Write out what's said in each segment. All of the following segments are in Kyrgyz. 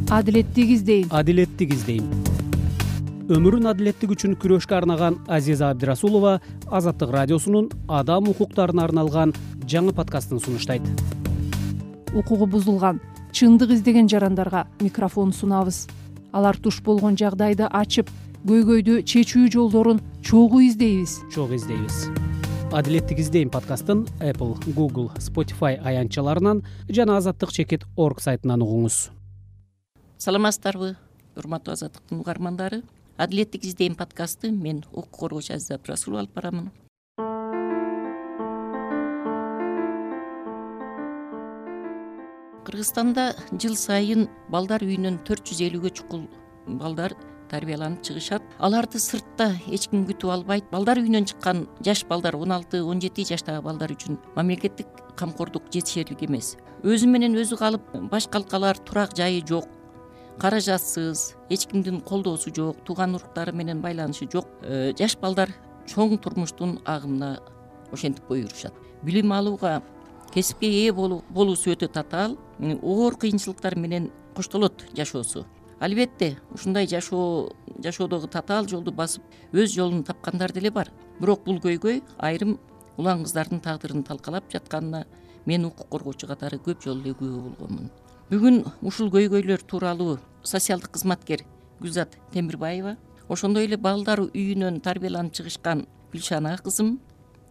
Адилеттик издейм. Адилеттик издейм. Өмүрүн адилеттик үчүн күрөшкө арнаган Азиза Абдирасулова Азаттык радиосунун адам укуктарына арналган жаңы подкастын сунуштайт. Укугу бузулган, чындык издеген жарандарга микрофон сунабыз. Алар туш болгон жагдайды ачып, көйгөйдү чечүү жолдорун чогуу издейбиз. Адилеттик издейм подкастын Apple, Google, Spotify аянтчаларынан жана azattik.org сайтынан угуңуз. Саламатсыздарбы, урматтуу Азаттыктын угармандары. Адилеттик издейм подкасты мен укук коргоочу Азиза Абдирасулова алып барамын. Кыргызстанда жыл сайын балдар үйүнөн 450гө чукул балдар тарбияланып чыгышат. Аларды сыртта эч ким күтүп албайт. Балдар үйүнөн чыккан жаш балдар 16-17 жаштагы балдар үчүн мамлекеттик камкордук жетишерлик эмес. Өзү менен өзү калып, башка алкалар турак жайы жок, каражатсыз, эч кимдин колдоосу жок, тууган уруктары менен байланышы жок. Жаш балдар чоң турмуштун агымына ошентип буйрушат. Билим алууга, кесипке ээ болуусу өтө татаал, оор кыйынчылыктар менен коштолот жашоосу. Албетте, ушундай жашоодогу татаал жолду басып, өз жолун тапкандар деле бар. Бирок бул көйгөй айрым улан кыздардын тагдырын талкалап жатканына мен укук коргоочу катары көп жолу эле күбө болгонмун. Бүгүн ушул көйгөйлөр тууралуу социалдык кызматкер Гүлзат Темирбаева, ошондой эле балдар үйүнөн тарбияланып чыгышкан Гүлшана кызым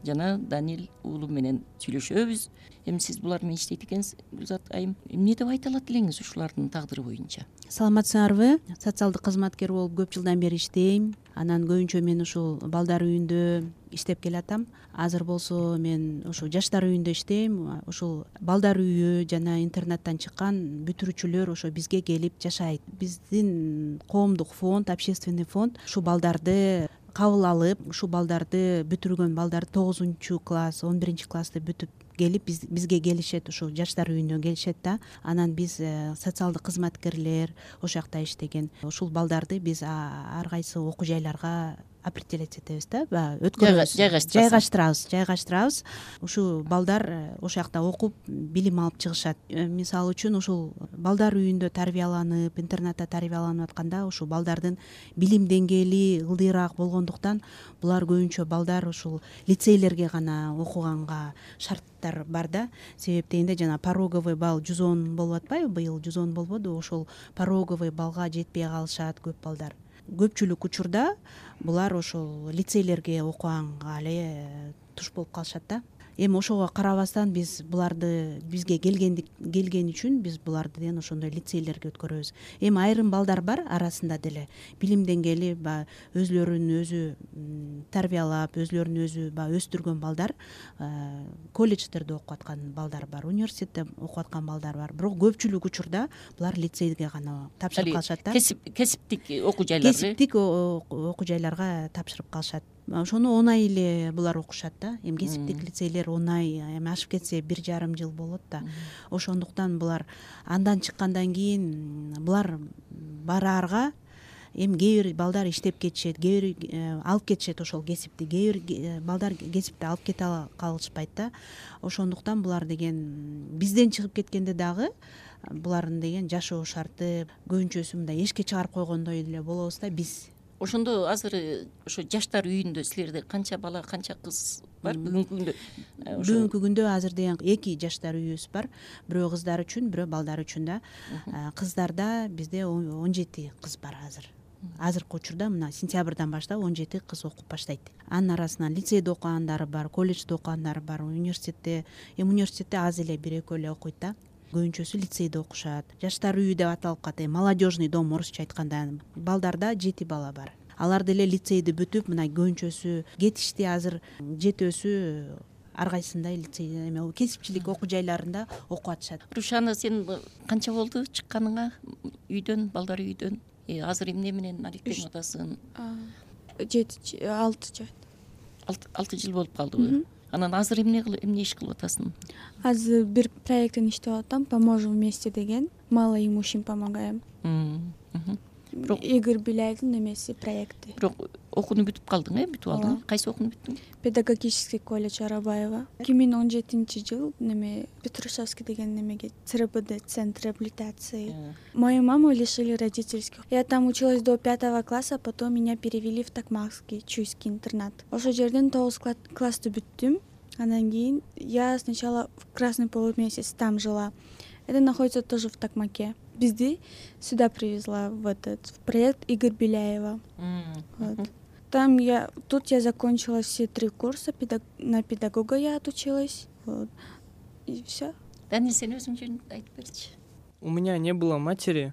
жана Данил уулу менен сүйлөшөбүз. Эми сиз булар менен иштейт экенсиз, Гүлзат айым. Эмне деп айта алат элеңиз ушулардын тагдыры боюнча? Саламатсыңарбы? Социалдык кызматкер болуп көп жылдан бери иштейм. Анан көбүнчө мен ушул балдар үйүндө иштеп келатам. Азыр болсо мен ушул жаштар үйүндө иштейм. Ушул балдар үйү жана интернаттан чыккан бүтүрүүчүлөр ошо бизге келип жашайт. Биздин коомдук фонд, общественный фонд ушул балдарды кабыл алып, ушул балдарды бүтүргөн балдар 9-класс, 11-классты бүтүп келип бизге келишет, ушул жаштар үйүнө келишет да. Анан биз социалдык кызматкерлер ошол жакта иштеген ушул балдарды биз ар кайсы окуу жайларга определять этебиз да, жайгаштырабыз. Ушул балдар ошол жакта окуп, билим алып чыгышат. Мисалы үчүн ушул балдар үйүндө тарбияланып, интернатта тарбияланып атканда ушул балдардын билим деңгээли ылдыйраак болгондуктан булар көбүнчө балдар ушул лицейлерге гана окуганга шарттар бар да. Себеп дегенде жана пороговый балл 110 болуп атпайбы, быйыл 110 болбоду, ошол пороговый баллга жетпей калышат көп балдар. Көпчүлүк учурда булар ошол лицейлерге окуганга эле туш болуп калышат да. Эми ошого карабастан биз буларды бизге келген үчүн биз буларды деген ошондой лицейлерге өткөрөбүз. Эми айрым балдар бар арасында деле билим деңгээли өзлөрүн өзү тарбиялап, өзлөрүн өзү өстүргөн балдар, колледждерде окуп аткан балдар бар, университетте окуп аткан балдар бар. Бирок көпчүлүк учурда булар лицейге гана тапшырып калышат да. Кесиптик окуу жайлар. Кесиптик окуу жайларга тапшырып калышат. Ошону оңай эле булар окушат да. Эми кесиптик лицейлер оңай, эми ашып кетсе 1,5 жыл болот да. Ошондуктан булар андан чыккандан кийин булар бараарга эми кээ бир балдар иштеп кетишет, кээ бир алып кетишет ошол кесипти, кээ бир балдар кесипти алып кете калышпайт да. Ошондуктан булар деген бизден чыгып кеткенде дагы булардын деген жашоо шарты көбүнчөсү мындай эшикке чыгарып койгондой эле болобуз да биз. Ошондо азыр ошо жаштар үйүндө силерде канча бала, канча кыз бар бүгүнкү күндө? Бүгүнкү күндө азыр деген 2 жаштар үйүбүз бар. Бирөө кыздар үчүн, бирөө балдар үчүн да. Кыздарда бизде 17 кыз бар азыр. Азыркы учурда мына сентябрдан баштап 17 кыз окуп баштайт. Анын арасынан лицейде окугандары бар, колледжде окугандары бар, университетте аз эле 1-2 эле окуйт да. Көбүнчөсү лицейде окушат. Жаштар үйү деп аталып калат. Молодежный дом орусча айтканда. Балдарда 7 бала бар. Алар деле лицейди бүтүп, мына көбүнчөсү кетишти, азыр жетөөсү ар кайсында лицей кесипчилик окуу жайларында окуп атышат. Рушана, сен канча болду чыкканыңа үйдөн, балдар үйдөн? Азыр эмне менен алектенип атасың? 6 жыл. 6 жыл болуп калдыбы? Анан азыр эмне иш кылып атасың? Азыр бир проекттен иштеп атам, поможем вместе деген, малоимущим помогаем. Игорь Беляевдин немеси проекти. Бирок окууну бүтүп калдың, бүтүп алдың. Кайсы окууну бүттүң? Педагогический колледж Арабаева. 2017-жыл Петрушевский деген немеге ЦРБД, Центр реабилитации. Мою маму лишили родительских. Я там училась до 5 класса, потом меня перевели в Токмакский Чуйский интернат. Ошол жерден 9 классты бүттүм. Андан кийин я сначала в Красный полумесяц там жила. Это находится тоже в Токмаке. Бизди сюда привезла в проект Игорь Беляева. Вот. Тут я закончила все 3 курса, на педагога я отучилась. Вот. И все. Данил, сен өзүң жөнүндө айтып берчи. У меня не было матери,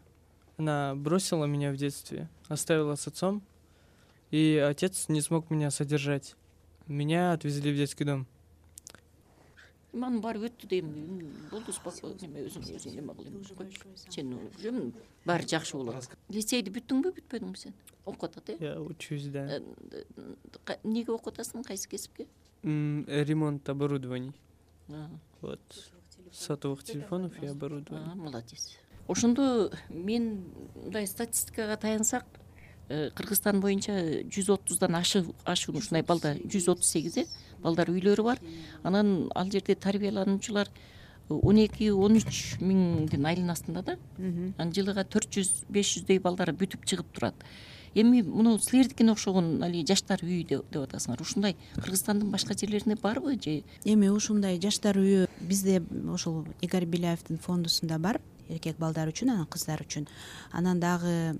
она бросила меня в детстве, оставила с отцом, и отец не смог меня содержать. Меня отвезли в детский дом. Ман барып өттү дейм. Болду, спокойно, өзүң неме кылайын. Сен өзүң баары жакшы болот. Лицейди бүттүңбү, бүтпөдүңбү сен? Окуп атат, Я учусь, да. Эмнеге окуп атасың, кайсы кесипке? Ремонт оборудований. Вот. Сотовых телефонов и оборудований. Молодец. Ошондо мен мындай статистикага таянсак, Кыргызстан боюнча 130дан ашуун ушундай балдар, 138 балдар үйлөрү бар. Анан ал жерде тарбиялануучулар 12-13 миңдин айылын астында да. Анан жылыга 400-500дөй балдар бүтүп чыгып турат. Эми муну силердикине окшогон жаштар үйү деп атасыңар. Ушундай Кыргызстандын башка жерлеринде барбы же? Эми ушундай жаштар үйү бизде ошол Игорь Беляевдин фондусунда бар. Эркек балдар үчүн, анан кыздар үчүн. Анан дагы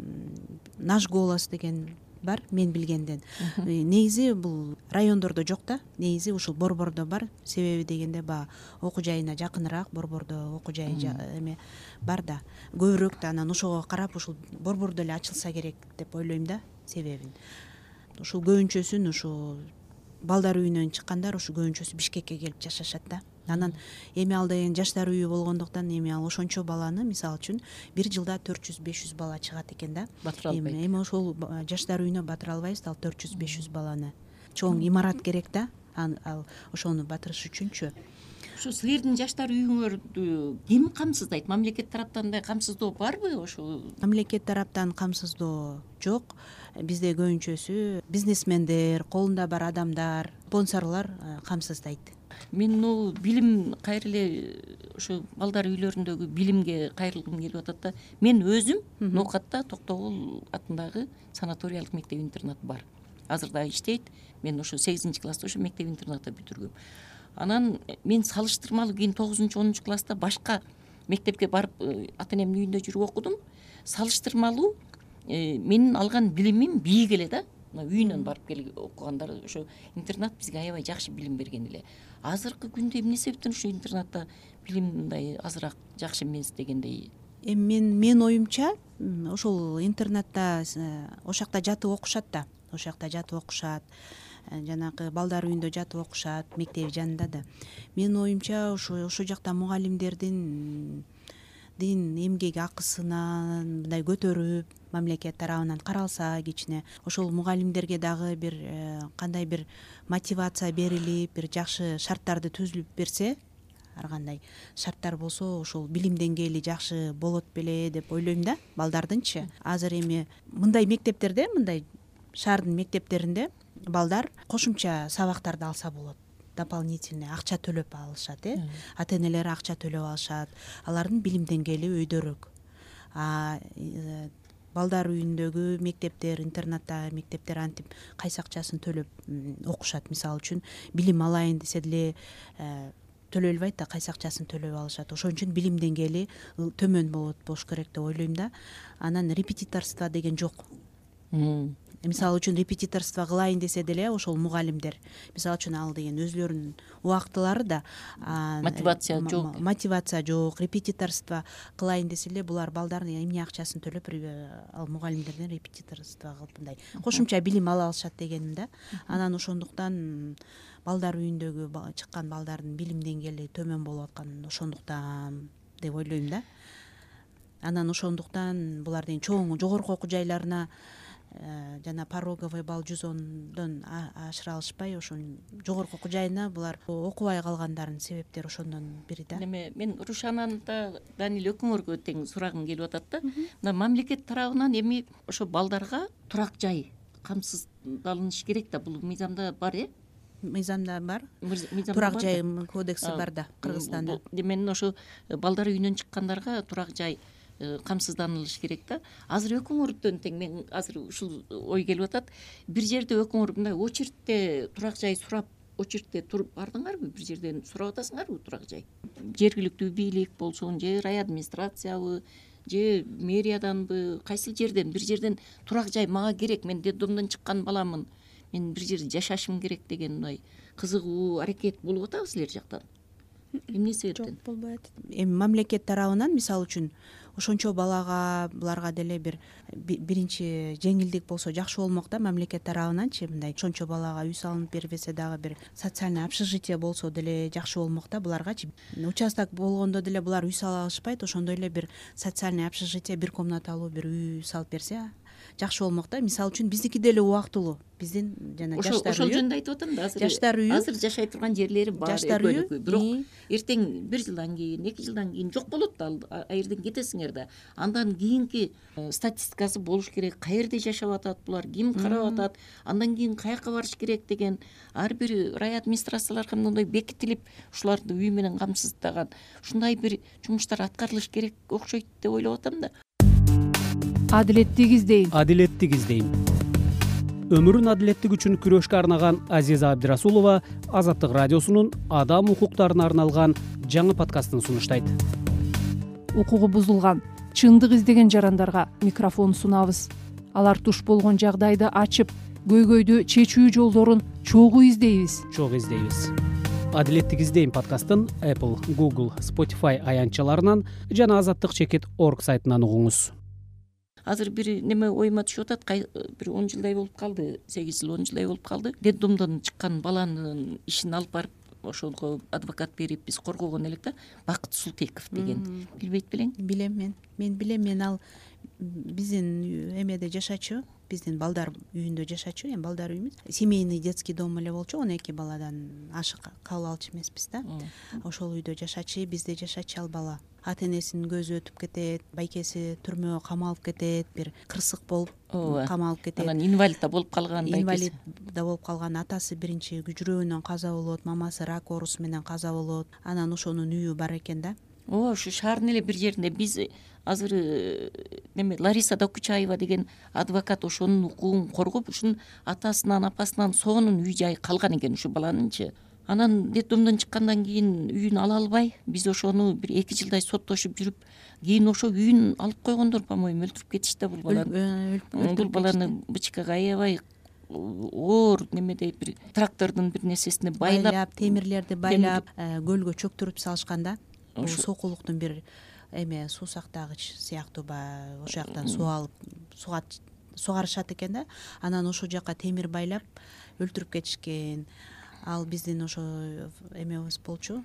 Наш голос деген бар, мен билгенден. Негизи бул райондордо жок да, негизи ушул Борбордо бар. Себеби дегенде баягы окуу жайына жакыныраак Борбордо окуу жайы эме бар да. Көбүрөөк да анан ошого карап ушул Борбордо эле ачылса керек деп ойлойм да, себебин. Ушул көбүнчөсүн ушу балдар үйүнөн чыккандар ушу көбүнчөсү Бишкекке келип жашашат да. Анан эми ал деген жаштар үйү болгондуктан эми ал ошончо баланы, мисалы үчүн, бир жылда 400-500 бала чыгат экен да. Эми ошол жаштар үйүнө батыра албайбыз, ал 400-500 баланы. Чоң имарат керек да, ал ошону батырыш үчүнчү. Ушу силердин жаштар үйүңөрдү ким камсыздайт? Мамлекет тараптан да камсыздоо барбы ошо? Мамлекет тараптан камсыздоо жок. Бизде көбүнчөсү бизнесмендер, колунда бар адамдар, спонсорлор камсыздайт. Мен билим кайра эле ошо балдар үйлөрүндөгү билимге кайрылгым келип атат да. Мен өзүм Ноокатта Токтогул атындагы санаториялык мектеп интернат бар. Азыр да иштейт. Мен ошо 8-класста ошо мектеп интернатты бүтүргөм. Анан мен салыштырмалуу кийин 9-10 класста башка мектепке барып ата энемдин үйүндө жүрүп окудум. Салыштырмалуу менин алган билимим бийик эле да. Үйүнөн барып окугандар ошо интернат бизге аябай жакшы билим берген эле. Азыркы күндө эмне себептен ошо интернатта билим мындай азыраак жакшы эмес дегендей? Эми мен оюмча ошол интернатта ошол жакта жатып окушат да. Ошол жакта жатып окушат. Жанагы балдар үйүндө жатып окушат, мектеп жанында да. Менин оюмча ошол жакта мугалимдердин эмгек акысынан мындай көтөрүп, мамлекет тарабынан каралса кичине, ошол мугалимдерге дагы бир кандай бир мотивация берилип, бир жакшы шарттарды түзүлүп берсе, ар кандай шарттар болсо, ошол билим деңгээли жакшы болот беле деп ойлойм да, балдардынчы. Азыр эми мындай мектептерде, мындай шаардын мектептеринде балдар кошумча сабактарды алса болот. Дополнительный акча төлөп алышат, ата энелери акча төлөп алышат. Алардын билим деңгээли өйдөрөөк. Балдар үйүндөгү мектептер, интернатта мектептер антип кайсы акчасын төлөп окушат. Мисалы үчүн билим алайын десе деле төлөй албайт да, кайсы акчасын төлөп алышат. Ошон үчүн билим деңгээли төмөн болуш керек деп ойлойм да. Анан репетиторство деген жок. Мисалы үчүн репетиторство кылайын десе деле ошол мугалимдер, мисалы үчүн ал деген өзүлөрүнүн убактылары да, мотивация жок. Мотивация жок, репетиторство кылайын десе эле булар балдардын эмне акчасын төлөп ал мугалимдерден репетиторство кылып мындай кошумча билим ала алышат дегеним да. Анан ошондуктан балдар үйүндөгү чыккан балдардын билим деңгээли төмөн болуп аткан ошондуктан деп ойлойм да. Анан ошондуктан булардын чоң жогорку окуу жайларына жана пороговый балл 110дон ашыра алышпай ошонун жогорку окуу жайына булар окубай калгандарынын себептери ошондон бири да. Эме мен Рушананы да Даниль экөөңөргө тең сурагым келип атат да. Мына мамлекет тарабынан эми ошо балдарга турак жай камсыздалыш керек да, бул мыйзамда бар Мыйзамда бар, турак жай кодекси бар да Кыргызстанда. Демек ошо балдар үйүнөн чыккандарга турак жай камсызданылыш керек да. Азыр өкмөттөн тең мен азыр ушул ой келип атат. Бир жерде өкмөр мындай очередте турак жай сурап, очередте туруп бардыңарбы? Бир жерден сурап атасыңарбы турак жай? Жергиликтүү бийлик болсун, же райадминистрациябы, же мэрияданбы, кайсыл жерден бир жерден турак жай мага керек, мен детдомдон чыккан баламын, мен бир жерде жашашым керек деген мындай кызыгуу аракет болуп атабы силер жактан? Эмне себептен? Жок, болбойт. Эми мамлекет тарабынан мисалы үчүн ошончо балага буларга деле биринчи жеңилдик болсо жакшы болмок да, мамлекет тарабынанчы мындай ошончо балага үй салынып бербесе дагы бир социальный общежитие болсо деле жакшы болмок да буларгачы. Участок болгондо деле булар үй сала алышпайт, ошондой эле бир социальный общежитие, бир комнаталуу бир үй салып берсе жакшы болмок да. Мисалы үчүн биздики деле убактылуу, биздин жана жаштар үйү. Ошол жөнүндө айтып атам да, жаштар үйү. Азыр жашай турган жерлери бар, жаштар үйү. Бирок эртең 1 жылдан кийин, 2 жылдан кийин жок болот да, ал жерден кетесиңер да. Андан кийинки статистикасы болуш керек. Каерде жашап атат булар, ким карап атат, андан кийин каяка барыш керек деген ар бир рай администрацияларга мындай бекитилип, ушуларды үй менен камсыздаган ушундай бир жумуштар аткарылыш керек окшойт деп ойлоп атам да. Адилеттик издейм. Адилеттик издейм. Өмүрүн адилеттик үчүн күрөшкө арнаган Азиза Абдирасулова Азаттык радиосунун адам укуктарына арналган жаңы подкастын сунуштайт. Укугу бузулган, чындык издеген жарандарга микрофон сунабыз. Алар туш болгон жагдайды ачып, көйгөйдү чечүү жолдорун чогуу издейбиз. Адилеттик издейм подкастын Apple, Google, Spotify аянтчаларынан жана azattik.org сайтынан угуңуз. Азыр бир неме оюма түшүп атат, бир 10 жылдай болуп калды, 8 жыл 10 жылдай болуп калды. Детдомдон чыккан баланын ишин алып барып, ошого адвокат берип биз коргогон элек да, Бакыт Султеков деген. Билбейт белең? Билем мен. Мен билем, мен ал биздин эмеде жашачу, биздин балдар үйүндө жашачу, эми балдар үйүбүз. Семейный детский дом эле болчу, 12 баладан ашык кабыл алчу эмеспиз да. Ошол үйдө жашачу, бизде жашачу ал бала. Ата-энесинин көзү өтүп кетет, байкеси түрмөгө камалып кетет, бир кырсык болуп камалып кетет. Анан инвалид да болуп калган байкеси. Инвалид да болуп калган, атасы биринчи жүрөгүнөн каза болот, мамасы рак оорусу менен каза болот. Анан ошонун үйү бар экен да. Ушу шаардын эле бир жеринде биз азыр неме Лариса Докучаева деген адвокат ошонун укугун коргоп, ушунун атасынан, апасынан сонун үй жай калган экен ушу баланынчы. Анан детдомдон чыккандан кийин үйүн ала албай, биз ошону бир 2 жылдай соттошуп жүрүп, кийин ошо үйүн алып койгондор, по-моему, өлтүрүп кетишти бул баланы. Бул баланы бычкага аябай оор немеде бир трактордун бир нерсесине байлап, темирлерди байлап, көлгө чөктүрүп салышканда, бул сокулуктун бир эме суу сактагыч сыяктуу ошол жактан суу алып сугарышат экен да. Анан ошол жака темир байлап өлтүрүп кетишкен. Ал биздин ошо эмебиз болчу.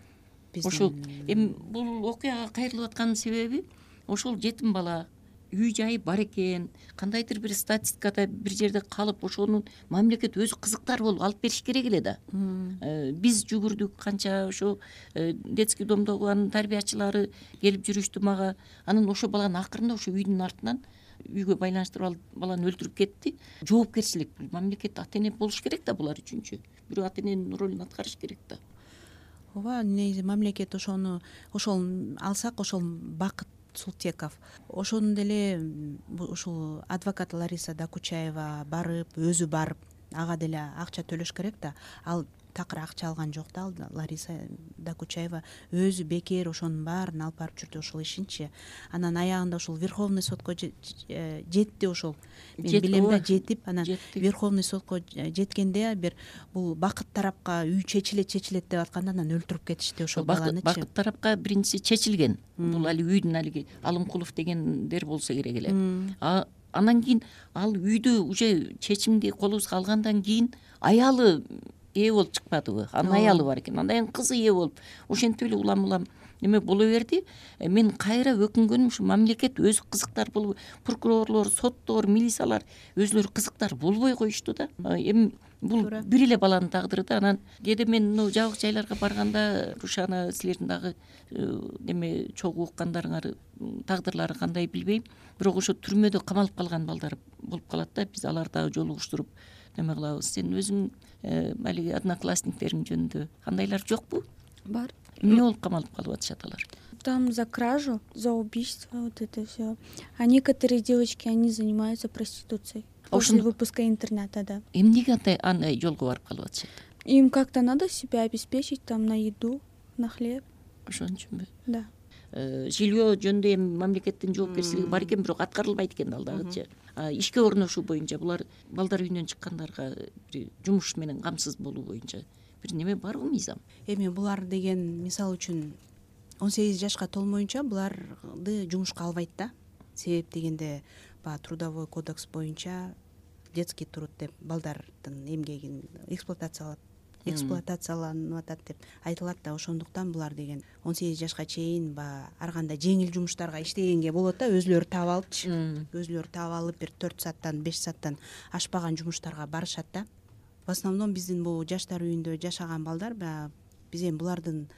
Ошол эми бул окуяга кайрылып атканын себеби ошол жетим бала үй жайы бар экен, кандайдыр бир статистикада бир жерде калып, ошонун мамлекет өзү кызыктар болуп алып бериш керек эле да. Биз жүгүрдүк канча, ошо детский домдогу анын тарбиячылары келип жүрүштү мага. Анан ошо баланы акырында ошо үйдүн артынан үйгө байланыштырып алып баланы өлтүрүп кетти. Жоопкерчилик бул мамлекет ата-эне болуш керек да булар үчүнчү. Бирөө ата-эненин ролун аткарыш керек да. Ооба, негизи мамлекет ошол алсак, ошол Бакыт Султеков, ошону деле ушул адвокат Лариса Докучаева барып, өзү барып, ага деле акча төлөш керек да. Ал такыр акча алган жок да, Лариса Докучаева өзү бекер ошонун баарын алып барып жүрдү, ошол ишинчи. Анан аягында ушул Верховный сотко жетти, ошол мен билем да, жетип, анан Верховный сотко жеткенде бир бул Бакыт тарапка үй чечилет деп атканда анан өлтүрүп кетишти ошол баланычы. Бакыт тарапка биринчи чечилген. Бул али үйдүн алиги Алымкулов дегендер болсо керек эле. Анан кийин ал үйдү уже чечимди колубузга алгандан кийин аялы ээ болуп чыкпадыбы? Анын аялы бар экен. Андан кийин кызы ээ болуп, ошентип эле улам неме боло берди. Мен кайра өкүнгөнүм ушу мамлекет өзү кызыктар болуп, прокурорлор, соттор, милициялар өзүлөрү кызыктар болбой коюшту да. Эми бул бир эле баланын тагдыры да. Анан кээде мен жабык жайларга барганда Рушана силердин дагы неме чогуу уккандарыңар тагдырлары кандай билбейм, бирок ошо түрмөдө камалып калган балдар болуп калат да. Биз аларды дагы жолугуштуруп неме кылабыз. Сен өзүң алиги одноклассниктериң жөнүндө кандайлар жокпу? Бар. Эмне болуп камалып калып атышат алар? Там за кражу, за убийство, вот это все. А некоторые девочки, они занимаются проституцией после выпуска интерната, да. Эмнеге андай жолго барып калып атышат? Им как-то надо себя обеспечить там на еду, на хлеб. Ошон үчүнбү? Да. Жилье жөнүндө эми мамлекеттин жоопкерчилиги бар экен, бирок аткарылбайт экен ал дагычы. Ишке орношуу боюнча булар балдар үйүнөн чыккандарга бир жумуш менен камсыз болуу боюнча бир неме барбы мыйзам? Эми булар деген мисалы үчүн 18 жашка толмоюнча буларды жумушка албайт да. Себеп дегенде баягы трудовой кодекс боюнча детский труд деп балдардын эмгегин эксплуатацияланып атат деп айтылат да. Ошондуктан булар деген 18 жашка чейин баягы ар кандай жеңил жумуштарга иштегенге болот да. Өзүлөрү таап алыпчы. Өзүлөрү таап алып бир 4 сааттан 5 сааттан ашпаган жумуштарга барышат да. В основном биздин бул жаштар үйүндө жашаган балдар баягы биз эми булардын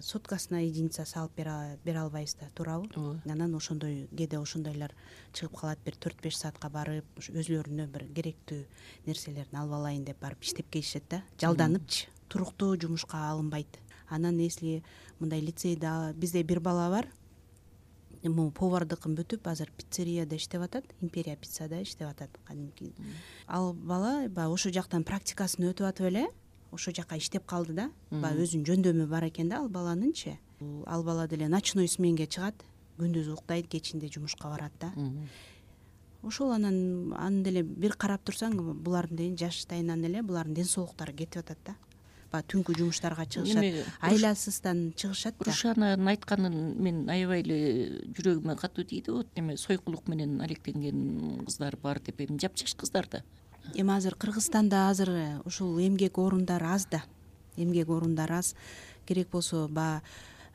соткасына единица салып бере албайбыз да, туурабы? Анан ошондой кээде ошондойлор чыгып калат, бир 4-5 саатка барып өзүлөрүнө бир керектүү нерселерин алып алайын деп барып иштеп келишет да. Жалданыпчы, туруктуу жумушка алынбайт. Анан если мындай лицейде бизде бир бала бар, могу повардыкын бүтүп азыр пиццерияда иштеп атат, Империя пиццада иштеп атат кадимки. Ал бала баягы ошо жактан практикасын өтүп атып эле ошо жака иштеп калды да. Баягы өзүнүн жөндөмү бар экен да ал баланынчы. Ал бала деле ночной сменге чыгат, күндүз уктайт, кечинде жумушка барат да. Ошол анан деле бир карап турсаң, булардын жаштайынан эле булардын ден соолуктары кетип атат да. Баягы түнкү жумуштарга чыгышат, айласыздан чыгышат да. Рушананын айтканын мен аябай эле жүрөгүмө катуу тийди. Вот эме сойкулук менен алектенген кыздар бар деп, эми жапжаш кыздар да. Эми азыр Кыргызстанда ушул эмгек орундары аз да. Эмгек орундары аз. Керек болсо баягы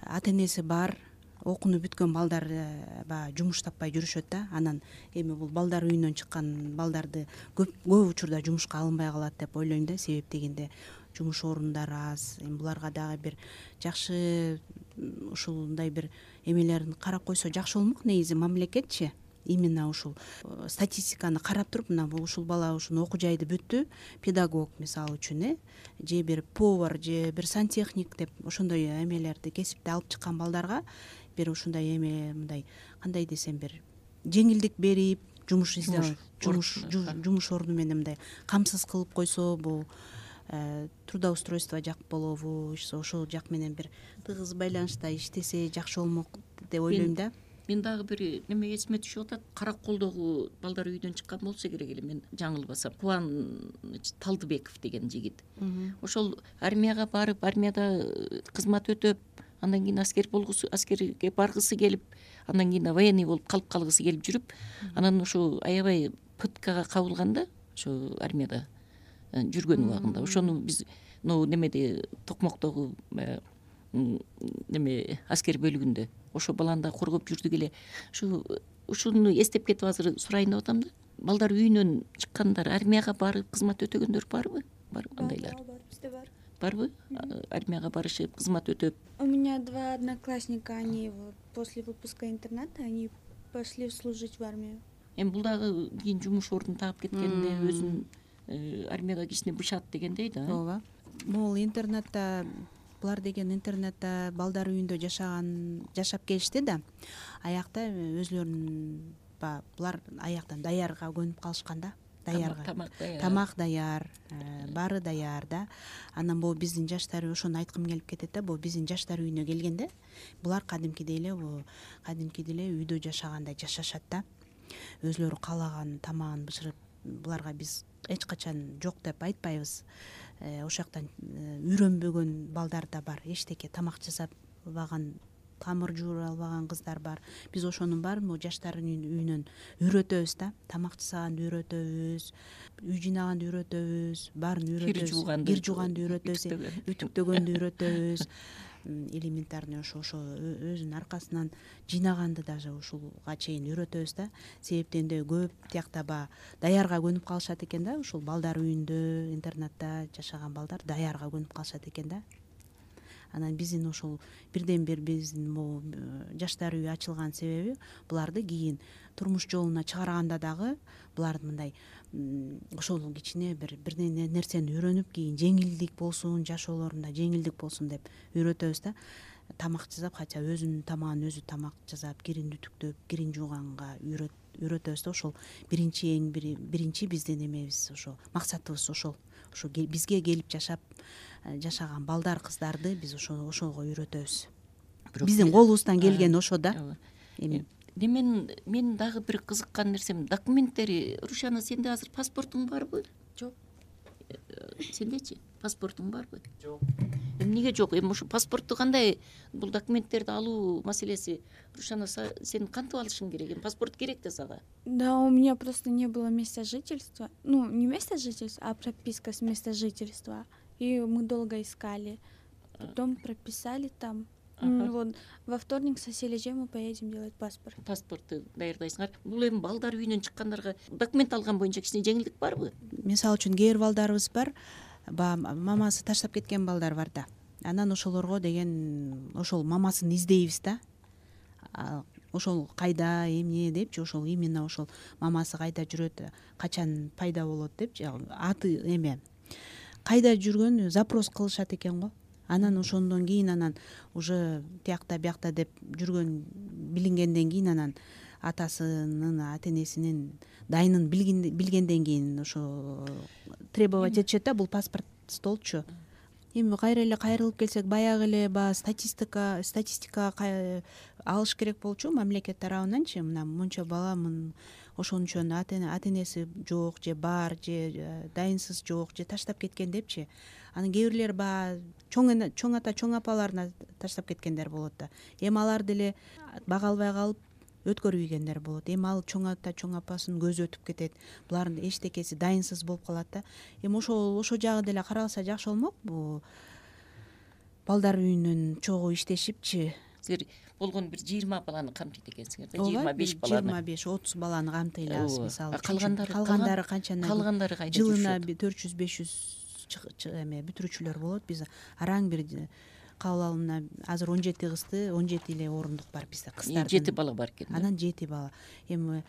ата энеси бар, окууну бүткөн балдар баягы жумуш таппай жүрүшөт да. Анан эми бул балдар үйүнөн чыккан балдарды көп учурда жумушка алынбай калат деп ойлойм да. Себеп дегенде жумуш орундары аз. Эми буларга дагы бир жакшы ушундай бир эмелерин карап койсо жакшы болмок негизи мамлекетчи. Именно ушул статистиканы карап туруп, мына ушул бала ушуну окуу жайды бүттү, педагог мисалы үчүн, же бир повар, же бир сантехник деп ошондой эмелерди кесипти алып чыккан балдарга бир ушундай эме, мындай кандай десем, бир жеңилдик берип, жумуш орду менен мындай камсыз кылып койсо, бул трудоустройство жак болобу, ошол жак менен бир тыгыз байланышта иштесе жакшы болмок деп ойлойм да. Мен дагы бир неме эсиме түшүп атат. Караколдогу балдар үйдөн чыккан болсо керек эле, мен жаңылбасам. Кубан Талдыбеков деген жигит. Ошол армияга барып, армияда кызмат өтөп, андан кийин аскерге баргысы келип, андан кийин военный болуп калгысы келип жүрүп, анан ошо аябай пыткага кабылганда, ошо армияда жүргөн убагында. Ошону биз немеде Токмоктогу неме аскер бөлүгүндө ошо баланы да коргоп жүрдүк эле. Ушуну эстеп кетип азыр сурайын деп атам да. Балдар үйүнөн чыккандар, армияга барып кызмат өтөгөндөр барбы? Бар кандайлар? Бар, бизде бар. Барбы? Армияга барышып, кызмат өтөп. У меня 2 одноклассника, они после выпуска интерната они пошли служить в армию. Эми бул дагы кийин жумуш ордун таап кеткенде өзүн армияда кичине бышат дегендей да. Ооба. Бул интернатта булар деген интернатта балдар үйүндө жашап келишти да. Аякта өзүлөрүнүн булар аяктан даярга көнүп калышкан да. Тамак даяр, баары даяр да. Анан бул биздин жаштар, ошону айткым келип кетет да. Бул биздин жаштар үйүнө келгенде булар кадимкидей эле үйдө жашагандай жашашат да. Өзүлөрү каалаган тамагын бышырып, буларга биз эч качан жок деп айтпайбыз. Ошол жактан үйрөнбөгөн балдар да бар. Эчтеке тамак жасап албаган, тамыр жуура албаган кыздар бар. Биз ошонун баарын жаштардын үйүнөн үйрөтөбүз да. Тамак жасаганды үйрөтөбүз, үй жыйнаганды үйрөтөбүз, баарын үйрөтөбүз. Кир жууганды үйрөтөбүз, үтүктөгөндү үйрөтөбүз. элементарный ошо өзүнүн аркасынан жыйнаганды даже ушулга чейин үйрөтөбүз да. Себептен көп тиякта баягы даярга көнүп калышат экен да, ушул балдар үйүндө, интернатта жашаган балдар даярга көнүп калышат экен да. Анан биздин ушул бирден бир биздин могу жаштар үйү ачылган себеби буларды кийин турмуш жолуна чыгарганда дагы буларды мындай ошол кичине бир нерсени үйрөнүп кийин жеңилдик болсун, жашоолорунда жеңилдик болсун деп үйрөтөбүз да. Тамак жасап, хотя өзүнүн тамагын өзү тамак жасап, кирин үтүктөп, кирин жууганга үйрөтөбүз да. Ошол биринчи биздин эмебиз, ошо максатыбыз ошол. Ошо бизге келип жашаган балдар, кыздарды биз ошого үйрөтөбүз. Биздин колубуздан келген ошо да. Мен дагы бир кызыккан нерсем документтери. Рушана, сенде азыр паспортуң барбы? Жок. Сендечи паспортуң барбы? Жок. Эмнеге жок? Эми ушу паспортту кандай бул документтерди алуу маселеси? Рушана, сен кантип алышың керек? Эми паспорт керек да сага. Да, у меня просто не было места жительства. Ну, не место жительства, а прописка с места жительства. И мы долго искали. Потом прописали там. Вот во вторник со Сележей мы поедем делать паспорт. Паспортту даярдайсыңар. Бул эми балдар үйүнөн чыккандарга документ алган боюнча кичине жеңилдик барбы? Мисалы үчүн кээ бир балдарыбыз бар, баягы мамасы таштап кеткен балдар бар да. Анан ошолорго деген ошол мамасын издейбиз да. Ошол кайда, эмне депчи, ошол именно ошол мамасы кайда жүрөт, качан пайда болот депчи, аты эме кайда жүргөн запрос кылышат экен го. Анан ошондон кийин анан уже тиякта биякта деп жүргөн билингенден кийин анан атасынын, ата-энесинин дайынын билгенден кийин ошо требовать этишет да, бул паспорт столчу. Эми кайра эле кайрылып келсек, баягы эле статистика алыш керек болчу мамлекет тарабынанчы. Мына мончо бала ошончон ата-энеси жок же бар, же дайынсыз жок, же таштап кеткен депчи. Анан кээ бирлер баягы чоң ата, чоң апаларына таштап кеткендер болот да. Эми алар деле бага албай калып өткөрүп ийгендер болот. Эми ал чоң ата, чоң апасынын көзү өтүп кетет. Булардын эчтекеси дайынсыз болуп калат да. Эми ошо жагы деле каралса жакшы болмок. Бул балдар үйүнүн чогуу иштешипчи. Силер болгону бир 20 баланы камтыйт экенсиңер да, 25 баланы. 25-30 баланы камтый алабыз мисалы. Калгандары кайда? Жылына 400-500 эме бүтүрүүчүлөр болот. Биз араң бир кабыл алымына азыр 17 кызды, 17 эле орундук бар бизде кыздардын. 7 бала бар экен. Анан 7 бала. Эми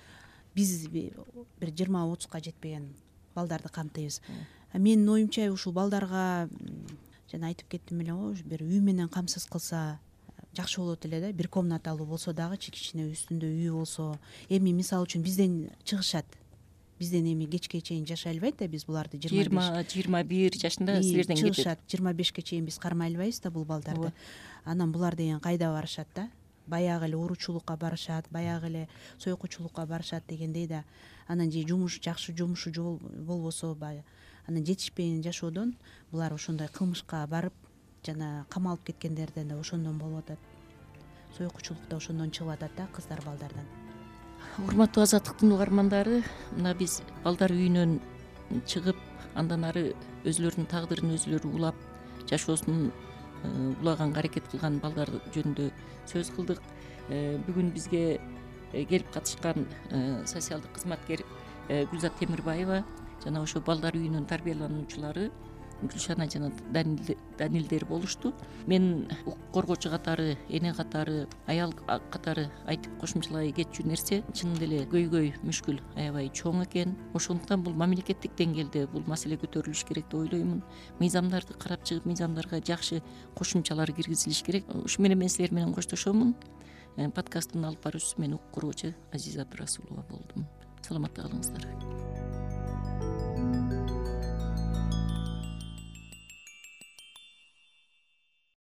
биз бир 20-30га жетпеген балдарды камтыйбыз. Менин оюмча ушул балдарга жана айтып кеттим эле го, бир үй менен камсыз кылса жакшы болот эле да. Бир комнаталуу болсо дагы кичине үстүндө үй болсо. Эми мисалы үчүн бизден чыгышат. Бизден эми кечке чейин жашай албайт да, биз буларды 20-21 жашында силерден кетет. 25ке чейин биз кармай албайбыз да бул балдарды. Анан булар деген кайда барышат да? Баягы эле уруучулукка барышат, баягы эле сойкучулукка барышат дегендей да. Анан же жакшы жумушу болбосо, анан жетишпеген жашоодон булар ошондой кылмышка барып жана камалып кеткендерден да ошондон болуп атат. Сойкучулукта ошондон чыгып атат да кыздар балдардан. Урматтуу Азаттыктын угармандары, мына биз балдар үйүнөн чыгып, андан ары өзүлөрүнүн тагдырын өзүлөрү улап, жашоосун улаганга аракет кылган балдар жөнүндө сөз кылдык. Бүгүн бизге келип катышкан социалдык кызматкер Гүлзат Темирбаева жана ошо балдар үйүнүн тарбиялануучулары Гүлшана жана Данилдер болушту. Мен укук коргоочу катары, эне катары, аял катары айтып кошумчалай кетчү нерсе, чынында эле көйгөй мүшкүл аябай чоң экен. Ошондуктан бул мамлекеттик деңгээлде бул маселе көтөрүлүш керек деп ойлоймун. Мыйзамдарды карап чыгып, мыйзамдарга жакшы кошумчалар киргизилиш керек. Ушу менен мен силер менен коштошомун. Подкасттын алып баруучусу мен укук коргоочу Азиза Абдрасулова болдум. Саламатта калыңыздар.